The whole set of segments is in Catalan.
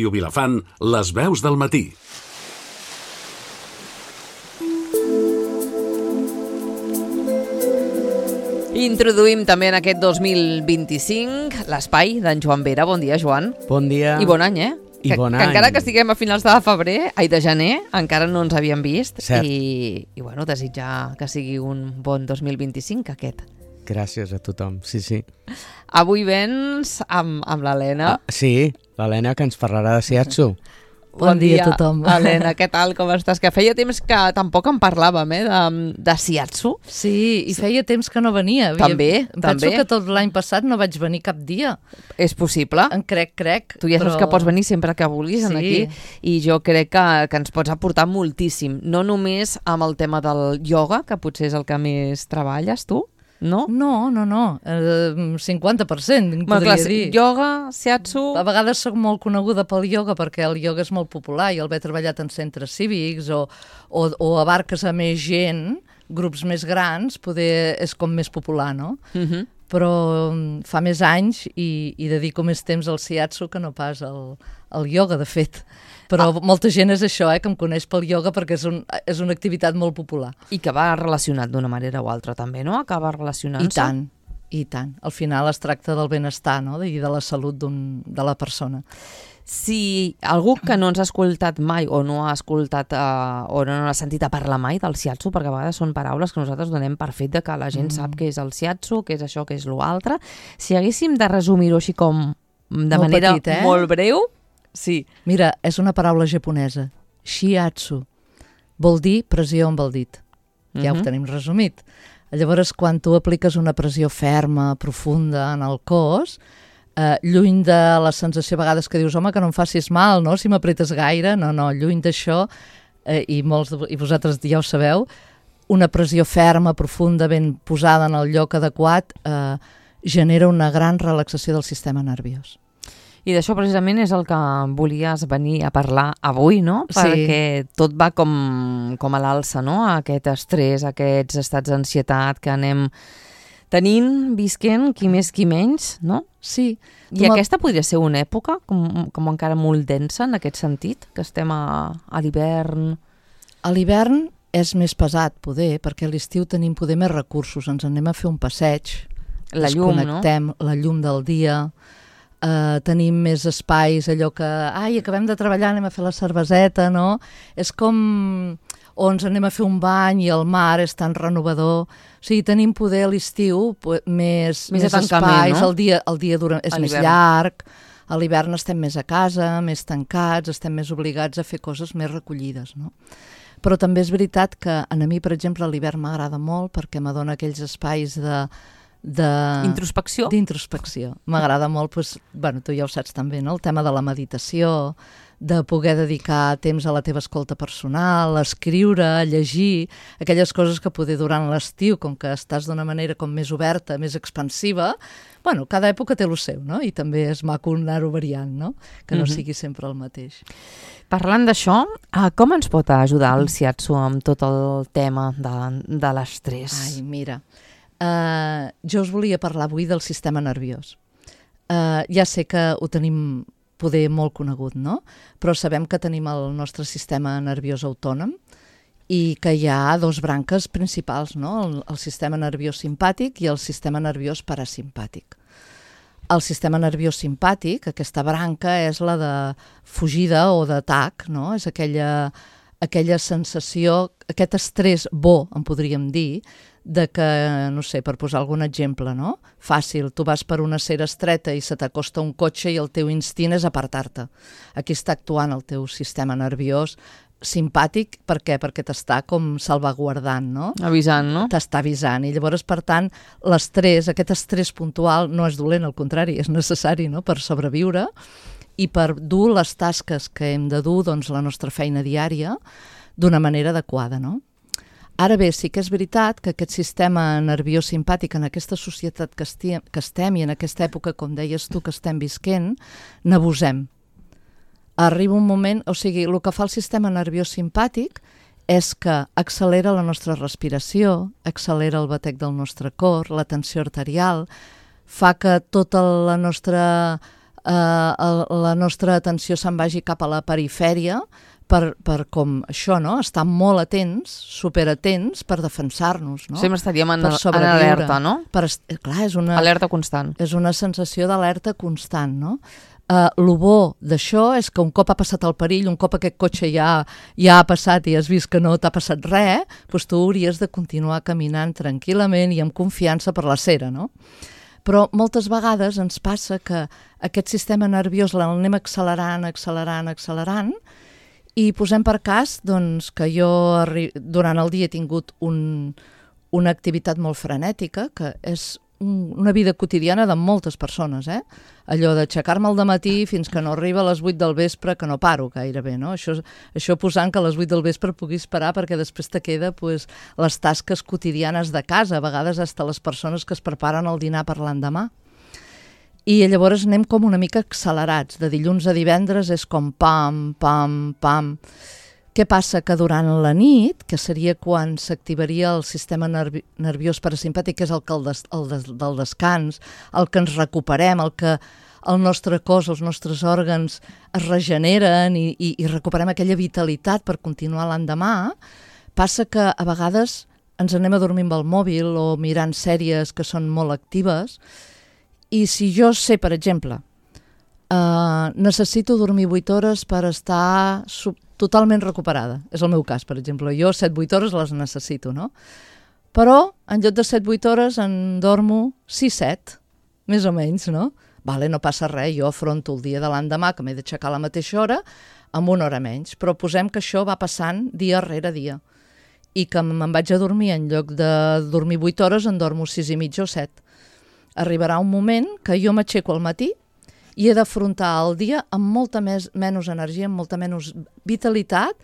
Ràdio Vilafant, les veus del matí. Introduïm també en aquest 2025 l'espai d'en Joan Vera. Bon dia, Joan. Bon dia. I bon any, I bon any. Que encara que estiguem a finals de febrer, de gener, encara no ens havíem vist. Cert. I bueno, desitjar que sigui un bon 2025 aquest. Gràcies a tothom, sí. Avui vens amb l'Helena. Sí, l'Helena, que ens parlarà de Shiatsu. Bon dia a tothom. Helena, què tal, com estàs? Que feia temps que tampoc en parlàvem, de Shiatsu. Sí, i feia temps que no venia. També. Penso que tot l'any passat no vaig venir cap dia. És possible. En crec. Tu ja saps que pots venir sempre que vulguis aquí, i jo crec que ens pots aportar moltíssim. No només amb el tema del ioga, que potser és el que més treballes tu, no? No. 50%, podria dir. Ioga, Shiatsu... A vegades soc molt coneguda pel ioga perquè el ioga és molt popular i el haver treballat en centres cívics o abarques a més gent, grups més grans, poder és com més popular, no? Però fa més anys i dedico més temps al Shiatsu que no pas al ioga, de fet. Però molta gent és això, que em coneix pel ioga perquè és una activitat molt popular. I que va relacionat d'una manera o altra també, no? Acaba relacionant-se. I tant. Al final es tracta del benestar, no? I de la salut de la persona. Si algú que no ens ha escoltat mai o no ha escoltat o no ha sentit a parlar mai del Shiatsu, perquè a vegades són paraules que nosaltres donem per fet de que la gent sap què és el Shiatsu, què és això, què és l'altre. Si haguéssim de resumir-ho així com de molt manera petit, molt breu... Sí. Mira, és una paraula japonesa. Shiatsu. Vol dir pressió amb el dit. Ja ho tenim resumit. Llavors, quan tu apliques una pressió ferma, profunda en el cos, lluny de la sensació a vegades que dius, home, que no em facis mal, no?, si m'apretes gaire. No, lluny d'això, i vosaltres ja ho sabeu, una pressió ferma, profunda, ben posada en el lloc adequat, genera una gran relaxació del sistema nerviós. I d'això precisament és el que volies venir a parlar avui, no? Sí. Perquè tot va com a l'alça, no? Aquest estrès, aquests estats d'ansietat que anem tenint, visquent, qui més, qui menys, no? Sí. I aquesta podria ser una època com encara molt densa en aquest sentit, que estem a l'hivern. A l'hivern és més pesat, poder, perquè a l'estiu tenim poder més recursos, ens anem a fer un passeig, la llum, desconnectem, la llum del dia... tenim més espais, allò que acabem de treballar, anem a fer la cerveseta, no? És com o ens anem a fer un bany i el mar és tan renovador. O sigui, tenim poder a l'estiu més espais, no? El dia és més llarg, a l'hivern estem més a casa, més tancats, estem més obligats a fer coses més recollides, no? Però també és veritat que a mi, per exemple, l'hivern m'agrada molt perquè m'adona aquells espais d'introspecció. M'agrada molt, tu ja ho saps també, no? El tema de la meditació, de poder dedicar temps a la teva escolta personal, a escriure, a llegir, aquelles coses que poder durant l'estiu, com que estàs d'una manera com més oberta, més expansiva, cada època té el seu, no? I també és maco anar-ho variant, no? Que no sigui sempre el mateix. Parlant d'això, com ens pot ajudar el Shiatsu amb tot el tema de l'estrès? Mira... jo us volia parlar avui del sistema nerviós. Ja sé que ho tenim poder molt conegut, no? Però sabem que tenim el nostre sistema nerviós autònom i que hi ha dos branques principals, no? El sistema nerviós simpàtic i el sistema nerviós parasimpàtic. El sistema nerviós simpàtic, aquesta branca, és la de fugida o d'atac, no? És aquella sensació, aquest estrès bo, en podríem dir, de que, no sé, per posar algun exemple, no? Fàcil, tu vas per una acera estreta i se t'acosta un cotxe i el teu instint és apartar-te. Aquí està actuant el teu sistema nerviós simpàtic, per què? Perquè t'està com salvaguardant, no? Avisant, no? T'està avisant, i llavors, per tant, l'estrès, aquest estrès puntual no és dolent, al contrari, és necessari, no?, per sobreviure i per dur les tasques que hem de dur, doncs, la nostra feina diària d'una manera adequada, no? Ara bé, sí que és veritat que aquest sistema nerviós simpàtic en aquesta societat que estem i en aquesta època, com deies tu, que estem visquent, n'abusem. Arriba un moment, o sigui, el que fa el sistema nerviós simpàtic és que accelera la nostra respiració, accelera el batec del nostre cor, la tensió arterial, fa que tota la nostra la nostra atenció se'n vagi cap a la perifèria per com això, no? Estar molt atents, superatents per defensar-nos, no? Sempre estaríem en Per sobreviure. alerta, no? Clar, és una... Alerta constant. És una sensació d'alerta constant, no? Lo bo d'això és que un cop ha passat el perill, un cop aquest cotxe ja ha passat i has vist que no t'ha passat res, doncs tu hauries de continuar caminant tranquil·lament i amb confiança per la cera, no? Però moltes vegades ens passa que aquest sistema nerviós l'anem accelerant, i posem per cas doncs, que jo durant el dia he tingut una activitat molt frenètica, que és una vida quotidiana de moltes persones, allò d'aixecar-me al dematí fins que no arriba a les 8 del vespre, que no paro gairebé, no? Això posant que a les 8 del vespre puguis parar perquè després te queda pues, les tasques quotidianes de casa, a vegades fins les persones que es preparen el dinar per l'endemà. I llavors anem com una mica accelerats, de dilluns a divendres és com pam, pam, pam. Què passa? Que durant la nit, que seria quan s'activaria el sistema nerviós parasimpàtic, que és del descans, el que ens recuperem, el que el nostre cos, els nostres òrgans es regeneren i recuperem aquella vitalitat per continuar l'endemà, passa que a vegades ens anem a dormir amb el mòbil o mirant sèries que són molt actives, i si jo sé, per exemple, necessito dormir 8 hores per estar totalment recuperada. És el meu cas, per exemple. Jo 7-8 hores les necessito, no? Però en lloc de 7-8 hores en dormo 6-7, més o menys, no? Vale, no passa res, jo afronto el dia de l'endemà, que m'he d'aixecar a la mateixa hora, amb 1 hora menys. Però posem que això va passant dia rere dia. I que me'n vaig a dormir, en lloc de dormir 8 hores, en dormo 6 i mitja o 7. Arribarà un moment que jo m'aixeco al matí i he d'afrontar el dia amb molta menys energia, amb molta menys vitalitat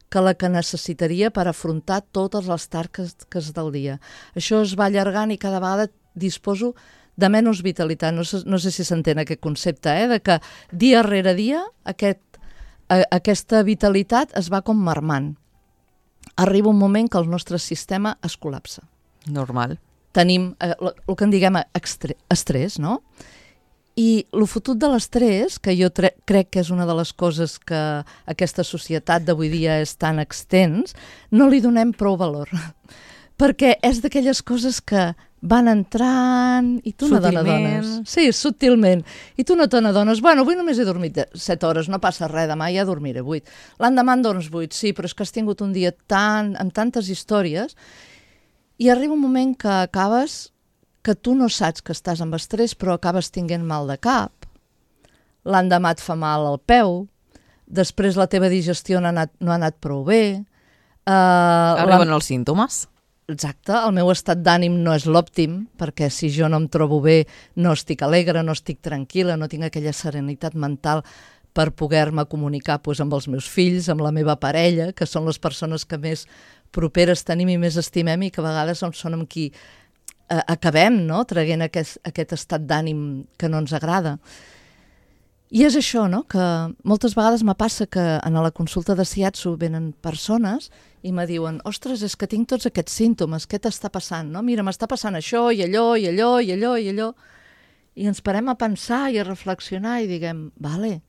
que la que necessitaria per afrontar totes les tasques del dia. Això es va allargant i cada vegada disposo de menys vitalitat. No sé si s'entén aquest concepte, de que dia rere dia aquesta vitalitat es va com marmant. Arriba un moment que el nostre sistema es col·lapsa. Normal. Tenim el que en diguem estrès, no? I el fotut de l'estrès, que jo crec que és una de les coses que aquesta societat d'avui dia és tan extens, no li donem prou valor. Perquè és d'aquelles coses que van entrant i tu no t'adones. Sí, subtilment. I tu no t'adones. Bueno, avui només he dormit 7 hores, no passa res, demà ja dormiré 8. L'endemà en dorms 8, sí, però és que has tingut un dia amb tantes històries i arriba un moment que acabes que tu no saps que estàs amb estrès, però acabes tinguent mal de cap, l'endemà et fa mal al peu, després la teva digestió no ha anat prou bé. Arriben els símptomes. Exacte, el meu estat d'ànim no és l'òptim, perquè si jo no em trobo bé no estic alegre, no estic tranquil·la, no tinc aquella serenitat mental per poder-me comunicar amb els meus fills, amb la meva parella, que són les persones que més properes tenim i més estimem i que a vegades són amb qui acabem, no?, traient aquest estat d'ànim que no ens agrada. I és això, no?, que moltes vegades me passa que en la consulta de Shiatsu venen persones i me diuen, ostres, és que tinc tots aquests símptomes, què t'està passant, no? Mira, m'està passant això i allò i allò i allò i allò. I ens parem a pensar i a reflexionar i diguem, vale,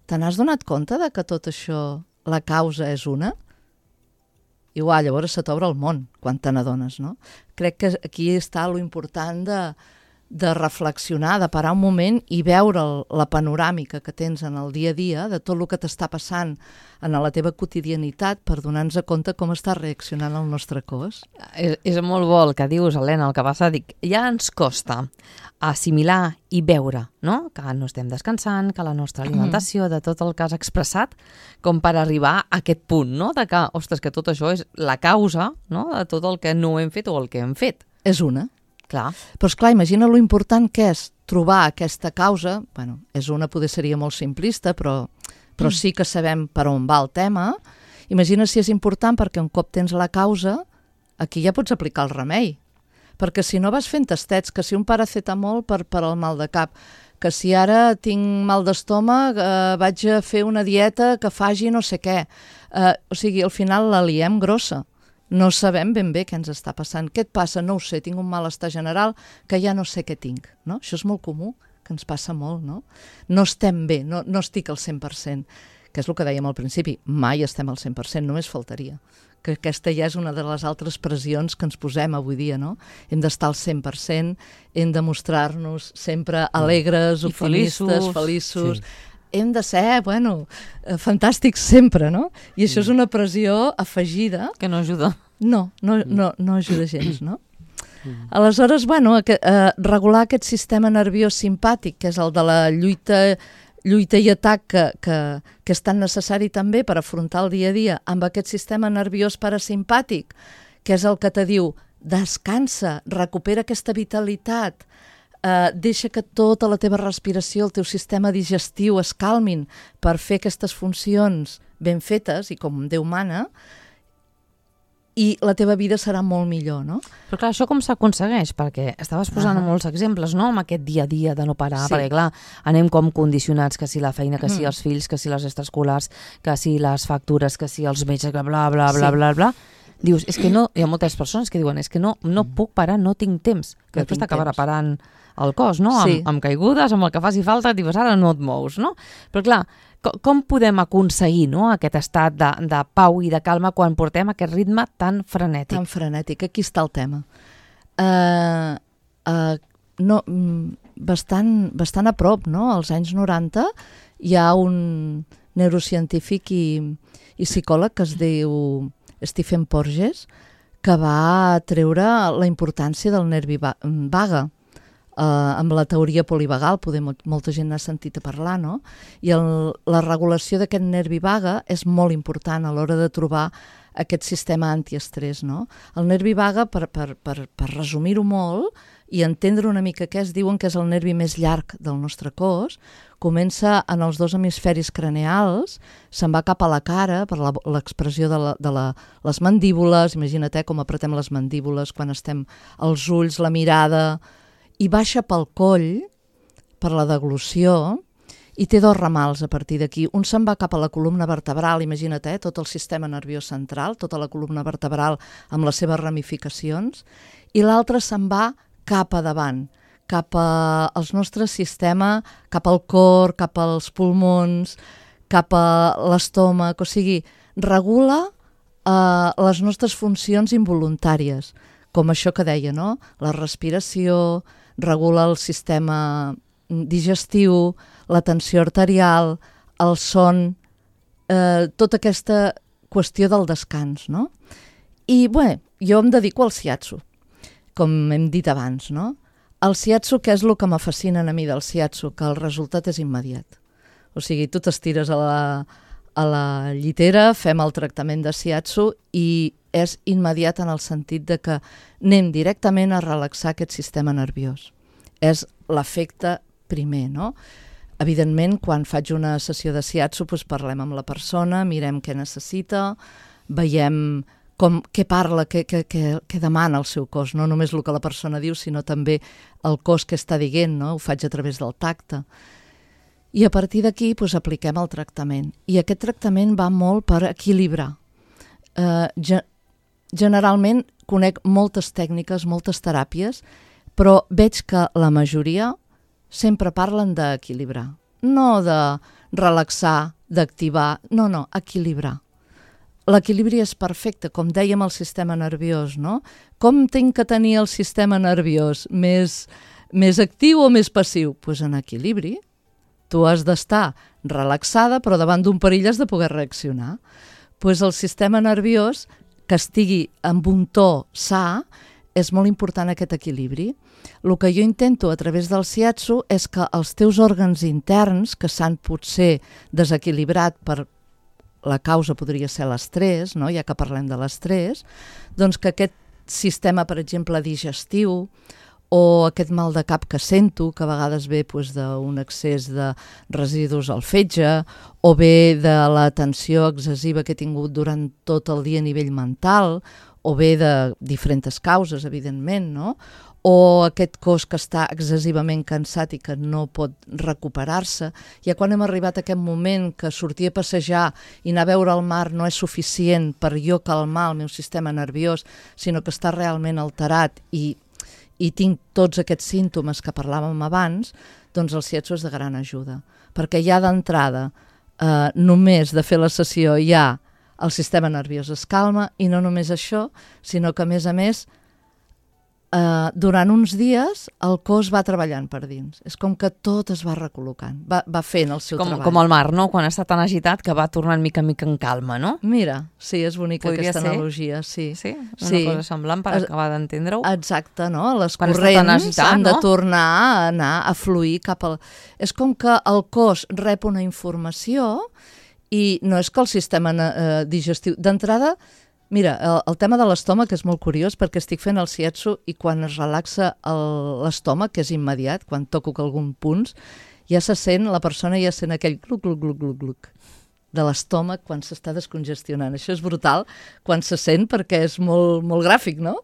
te n'has donat compte de que tot això, la causa és una? I llavors se t'obre el món quan te n'adones, no? Crec que aquí està lo important de reflexionar, de parar un moment i veure la panoràmica que tens en el dia a dia de tot el que t'està passant en la teva quotidianitat per donar-nos compte com està reaccionant el nostre cos. És molt bo el que dius, Helena, el que passa, dic, ja ens costa assimilar i veure, no?, que no estem descansant, que la nostra alimentació, de tot el que has expressat, com per arribar a aquest punt, no?, de que, ostres, que tot això és la causa, no?, de tot el que no hem fet o el que hem fet. És una. Clar. Però, esclar, imagina lo important que és trobar aquesta causa, bueno, és una, poder seria molt simplista, però sí que sabem per on va el tema. Imagina si és important perquè un cop tens la causa, aquí ja pots aplicar el remei. Perquè si no vas fent tastets, que si un paracetamol per al mal de cap, que si ara tinc mal d'estómac vaig a fer una dieta que faci no sé què. O sigui, al final la liem grossa. No sabem ben bé què ens està passant. Què et passa? No ho sé, tinc un malestar general que ja no sé què tinc. No? Això és molt comú, que ens passa molt, no? No estem bé, no estic al 100%, que és el que dèiem al principi, mai estem al 100%, només faltaria. Que aquesta ja és una de les altres pressions que ens posem avui dia, no? Hem d'estar al 100%, hem de mostrar-nos sempre alegres, optimistes, feliços. Sí. Hem de ser, fantàstics sempre, no? I això és una pressió afegida. Que no ajuda. No ajuda gens, no? Aleshores, regular aquest sistema nerviós simpàtic, que és el de la lluita i atac que és tan necessari també per afrontar el dia a dia, amb aquest sistema nerviós parasimpàtic, que és el que te diu descansa, recupera aquesta vitalitat, deixa que tota la teva respiració, el teu sistema digestiu es calmin per fer aquestes funcions ben fetes i com Déu mana, i la teva vida serà molt millor, no? Però clar, això com s'aconsegueix? Perquè estaves posant molts exemples, no?, amb aquest dia a dia de no parar, perquè clar, anem com condicionats, que si la feina, que si els fills, que si les extraescolars, que si les factures, que si els metges, que bla, bla, bla, bla, bla. Dius, és que no, hi ha moltes persones que diuen, és que no puc parar, no tinc temps, que després t'acabarà parant el cos, no? Amb caigudes, amb el que faci falta, dius, ara no et mous, no? Però clar, com podem aconseguir, no?, aquest estat de pau i de calma quan portem aquest ritme tan frenètic? Tan frenètic, aquí està el tema. Bastant a prop, no? Als anys 90 hi ha un neurocientífic i psicòleg que es diu Stephen Porges, que va treure la importància del nervi vague amb la teoria polivagal, molta gent n'ha sentit a parlar, no? I la regulació d'aquest nervi vague és molt important a l'hora de trobar aquest sistema antiestrès, no? El nervi vague, per resumir-ho molt i entendre una mica què es diuen que és el nervi més llarg del nostre cos, comença en els dos hemisferis craneals, se'n va cap a la cara per l'expressió de les mandíbules, imagina't com apretem les mandíbules quan estem els ulls, la mirada, i baixa pel coll, per la deglució, i té dos ramals a partir d'aquí. Un se'n va cap a la columna vertebral, imagina't, tot el sistema nerviós central, tota la columna vertebral amb les seves ramificacions, i l'altre se'n va cap a davant, cap al nostre sistema, cap al cor, cap als pulmons, cap a l'estómac, o sigui, regula les nostres funcions involuntàries, com això que deia, no? La respiració, regula el sistema digestiu, la tensió arterial, el son, tota aquesta qüestió del descans, no? I, jo em dedico al shiatsu, com hem dit abans, no? El shiatsu, què és el que m'afascina a mi del shiatsu? Que el resultat és immediat. O sigui, tu t'estires a la llitera, fem el tractament de shiatsu i és immediat en el sentit de que anem directament a relaxar aquest sistema nerviós. És l'efecte primer, no? Evidentment, quan faig una sessió de shiatsu, parlem amb la persona, mirem què necessita, veiem què parla, què demana el seu cos, no només el que la persona diu, sinó també el cos que està dient, no? Ho faig a través del tacte. I a partir d'aquí apliquem el tractament. I aquest tractament va molt per equilibrar. Generalment conec moltes tècniques, moltes teràpies, però veig que la majoria sempre parlen d'equilibrar. No de relaxar, d'activar, no, equilibrar. L'equilibri és perfecte, com dèiem el sistema nerviós, no? Com tinc que tenir el sistema nerviós? Més actiu o més passiu? Doncs en equilibri. Tu has d'estar relaxada, però davant d'un perill has de poder reaccionar. Doncs el sistema nerviós, que estigui amb un to sa, és molt important aquest equilibri. El que jo intento a través del shiatsu és que els teus òrgans interns, que s'han potser desequilibrat per la causa podria ser l'estrès, no? Ja que parlem de l'estrès, doncs que aquest sistema, per exemple, digestiu, o aquest mal de cap que sento, que a vegades ve d'un excés de residus al fetge, o ve de la tensió excessiva que he tingut durant tot el dia a nivell mental, o ve de diferents causes, evidentment, no? O aquest cos que està excessivament cansat i que no pot recuperar-se. Ja quan hem arribat a aquest moment que sortir a passejar i anar a veure el mar no és suficient per jo calmar el meu sistema nerviós, sinó que està realment alterat i i tinc tots aquests símptomes que parlàvem abans, doncs el shiatsu és de gran ajuda. Perquè ja d'entrada, només de fer la sessió ja el sistema nerviós es calma, i no només això, sinó que a més, durant uns dies el cos va treballant per dins. És com que tot es va recol·locant, va fent el seu treball. Com el mar, no? Quan està tan agitat que va tornant mica en mica en calma, no? Mira, sí, és bonica Podria aquesta ser? analogia. Sí, Sí? Una cosa semblant per acabar d'entendre-ho? Exacte, no? Les Quan està tan corrents agitat, han de no? tornar a anar a fluir cap al... És com que el cos rep una informació i no és que el sistema digestiu... D'entrada, mira, el tema de l'estómac és molt curiós perquè estic fent el shiatsu i quan es relaxa l'estómac, que és immediat, quan toco algun punt, ja se sent, la persona ja sent aquell gluc, gluc, gluc, gluc, gluc de l'estómac quan s'està descongestionant. Això és brutal quan se sent perquè és molt, molt gràfic, no?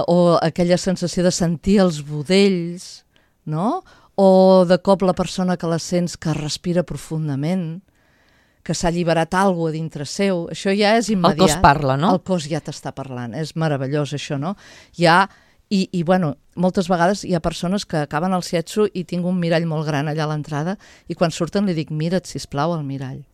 O aquella sensació de sentir els budells, no? O de cop la persona que la sents que respira profundament, que s'ha alliberat alguna cosa a dintre seu, això ja és immediat. El cos parla, no? El cos ja t'està parlant, és meravellós això, no? I bueno, moltes vegades hi ha persones que acaben el shiatsu i tinc un mirall molt gran allà a l'entrada i quan surten li dic, mira't, sisplau, al mirall.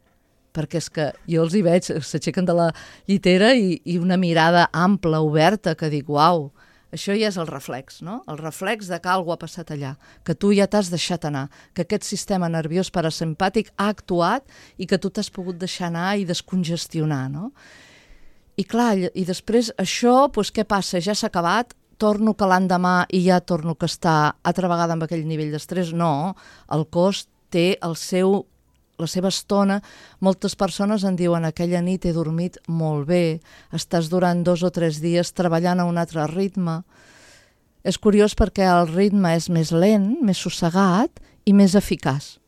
Perquè és que jo els hi veig, s'aixequen de la llitera i una mirada ampla, oberta, que dic, uau, això ja és el reflex, no? El reflex de que alguna ha passat allà, que tu ja t'has deixat anar, que aquest sistema nerviós parasimpàtic ha actuat i que tu t'has pogut deixar anar i descongestionar, no? I clar, i després això, doncs què passa? Ja s'ha acabat, torno que l'endemà i ja torno que està altra vegada amb aquell nivell d'estrès? No, el cos té la seva estona. Moltes persones en diuen aquella nit he dormit molt bé, estàs durant 2 o 3 dies treballant a un altre ritme. És curiós perquè el ritme és més lent, més sossegat i més eficaç.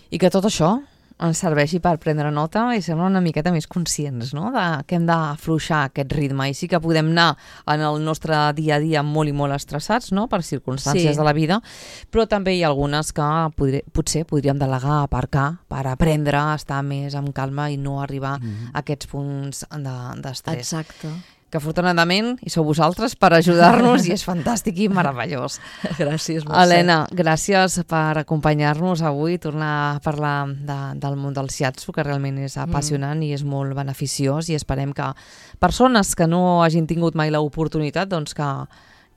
I que tot això ens serveixi per prendre nota i ser una miqueta més conscients, no? Que hem d'afluixar aquest ritme i sí que podem anar en el nostre dia a dia molt i molt estressats, no? Per circumstàncies de la vida, però també hi ha algunes que potser podríem delegar, aparcar, per aprendre a estar més amb calma i no arribar a aquests punts d'estrès. Exacte. Que afortunadament hi sou vosaltres per ajudar-nos i és fantàstic i meravellós. Gràcies, Mercè. Helena, gràcies per acompanyar-nos avui, tornar a parlar del món del shiatsu, que realment és apassionant i és molt beneficiós, i esperem que persones que no hagin tingut mai l'oportunitat, doncs que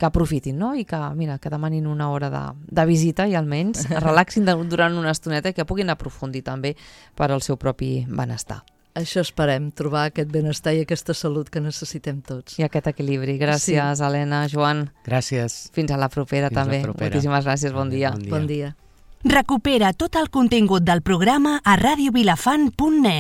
aprofitin, no? I que, mira, que demanin una hora de visita i almenys relaxin durant una estoneta i que puguin aprofundir també per al seu propi benestar. Això esperem, trobar aquest benestar i aquesta salut que necessitem tots. I aquest equilibri. Gràcies, Helena, Joan. Gràcies. Fins a la propera, també. Moltíssimes gràcies, bon dia. Bon dia. Recupera tot el contingut del programa a radiovilafant.net.